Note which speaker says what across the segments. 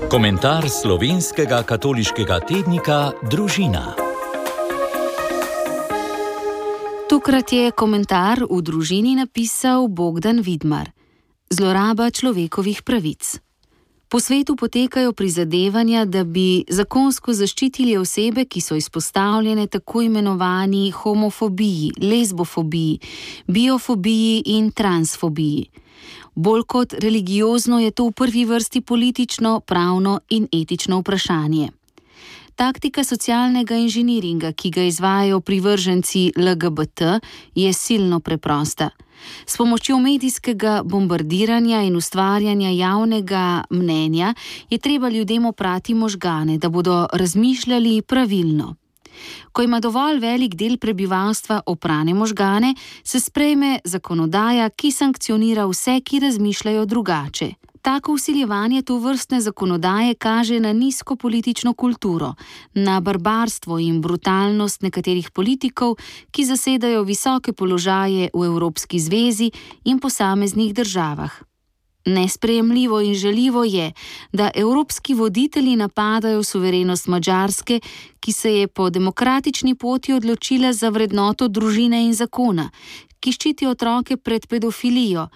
Speaker 1: Komentar slovenskega katoliškega tednika Družina.
Speaker 2: Tokrat je komentar v Družini napisal Bogdan Vidmar. Zloraba človekovih pravic. Po svetu potekajo prizadevanja, da bi zakonsko zaščitili osebe, ki so izpostavljene tako imenovani homofobiji, lezbofobiji, biofobiji in transfobiji. Bolj kot religiozno je to v prvi vrsti politično, pravno in etično vprašanje. Taktika socialnega inženiringa, ki ga izvajajo privrženci LGBT, je silno preprosta. S pomočjo medijskega bombardiranja in ustvarjanja javnega mnenja je treba ljudem oprati možgane, da bodo razmišljali pravilno. Ko ima dovolj velik del prebivalstva oprane možgane, se sprejme zakonodaja, ki sankcionira vse, ki razmišljajo drugače. Tako vsiljevanje tovrstne zakonodaje kaže na nizko politično kulturo, na barbarstvo in brutalnost nekaterih politikov, ki zasedajo visoke položaje v Evropski zvezi in posameznih državah. Nesprejemljivo in žaljivo je, da evropski voditelji napadajo suverenost Madžarske, ki se je po demokratični poti odločila za vrednoto družine in zakona, ki ščiti otroke pred pedofilijo,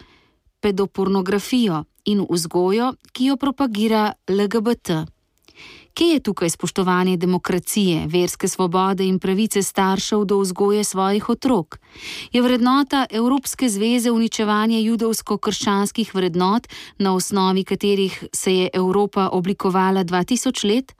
Speaker 2: pedopornografijo in vzgojo, ki jo propagira LGBT. Kje je tukaj spoštovanje demokracije, verske svobode in pravice staršev do vzgoje svojih otrok? Je vrednota Evropske zveze uničevanje judovsko-krščanskih vrednot, na osnovi katerih se je Evropa oblikovala 2000 let?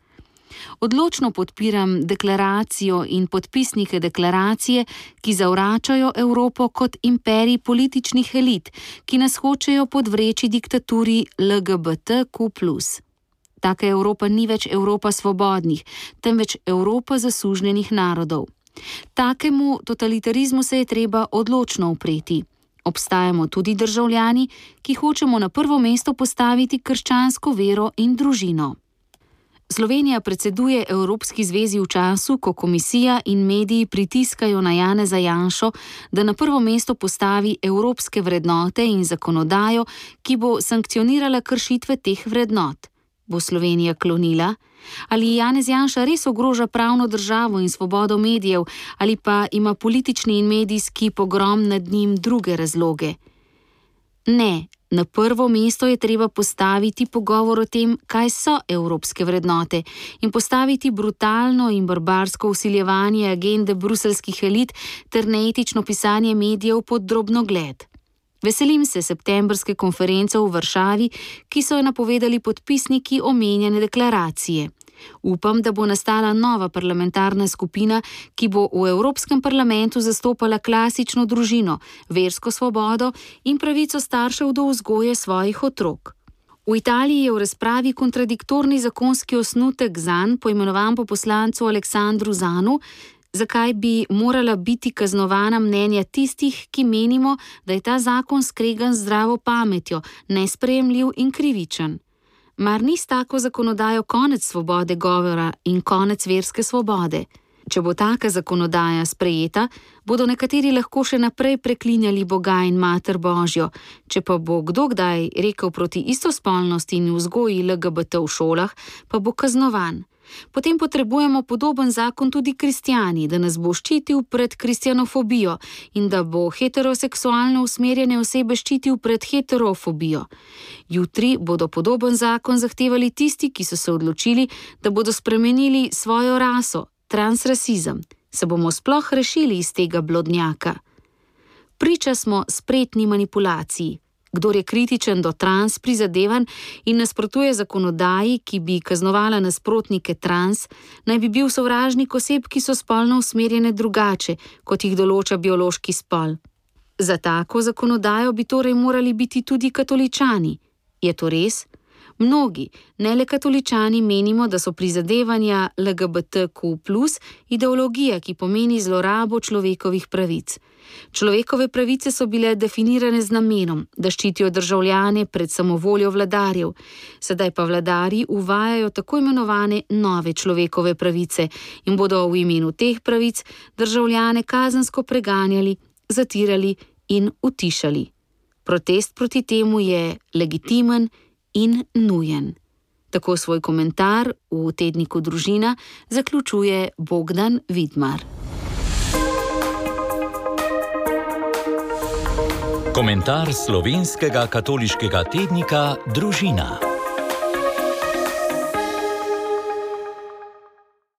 Speaker 2: Odločno podpiram deklaracijo in podpisnike deklaracije, ki zavračajo Evropo kot imperij političnih elit, ki nas hočejo podvreči diktaturi LGBTQ+. Taka Evropa ni več Evropa svobodnih, temveč Evropa zasužnjenih narodov. Takemu totalitarizmu se je treba odločno upreti. Obstajamo tudi državljani, ki hočemo na prvo mesto postaviti krščansko vero in družino. Slovenija predseduje Evropski zvezi v času, ko komisija in mediji pritiskajo na Janeza Janšo, da na prvo mesto postavi evropske vrednote in zakonodajo, ki bo sankcionirala kršitve teh vrednot. Bo Slovenija klonila? Ali Janez Janša res ogroža pravno državo in svobodo medijev, ali pa ima politični in medijski pogrom nad njim druge razloge? Ne, na prvo mesto je treba postaviti pogovor o tem, kaj so evropske vrednote, in postaviti brutalno in barbarsko vsiljevanje agende bruseljskih elit ter neetično pisanje medijev pod drobnogled. Veselim se septembrske konference v Varšavi, ki so jo napovedali podpisniki omenjene deklaracije. Upam, da bo nastala nova parlamentarna skupina, ki bo v Evropskem parlamentu zastopala klasično družino, versko svobodo in pravico staršev do vzgoje svojih otrok. V Italiji je v razpravi kontradiktorni zakonski osnutek zanj, poimenovan po poslancu Aleksandru Zanu, zakaj bi morala biti kaznovana mnenja tistih, ki menimo, da je ta zakon skregan z zdravo pametjo, nesprejemljiv in krivičen. Mar ni s tako zakonodajo konec svobode govora in konec verske svobode? Če bo taka zakonodaja sprejeta, bodo nekateri lahko še naprej preklinjali Boga in Mater Božjo, če pa bo kdo kdaj rekel proti istospolnosti in vzgoji LGBT v šolah, pa bo kaznovan. Potem potrebujemo podoben zakon tudi kristjani, da nas bo ščitil pred kristjanofobijo in da bo heteroseksualno usmerjene osebe ščitil pred heterofobijo. Jutri bodo podoben zakon zahtevali tisti, ki so se odločili, da bodo spremenili svojo raso, transrasizem. Se bomo sploh rešili iz tega blodnjaka? Priča smo spretni manipulaciji. Kdor je kritičen do trans prizadevanj in nasprotuje zakonodaji, ki bi kaznovala nasprotnike trans, naj bi bil sovražnik oseb, ki so spolno usmerjene drugače, kot jih določa biološki spol. Za tako zakonodajo bi torej morali biti tudi katoličani. Je to res? Mnogi, ne le katoličani, menimo, da so prizadevanja LGBTQ+ ideologija, ki pomeni zlorabo človekovih pravic. Človekove pravice so bile definirane z namenom, da ščitijo državljane pred samovoljo vladarjev. Sedaj pa vladarji uvajajo tako imenovane nove človekove pravice in bodo v imenu teh pravic državljane kazensko preganjali, zatirali in utišali. Protest proti temu je legitimen in nujen. Tako svoj komentar v tedniku Družina zaključuje Bogdan Vidmar.
Speaker 1: Komentar slovenskega katoliškega tednika Družina.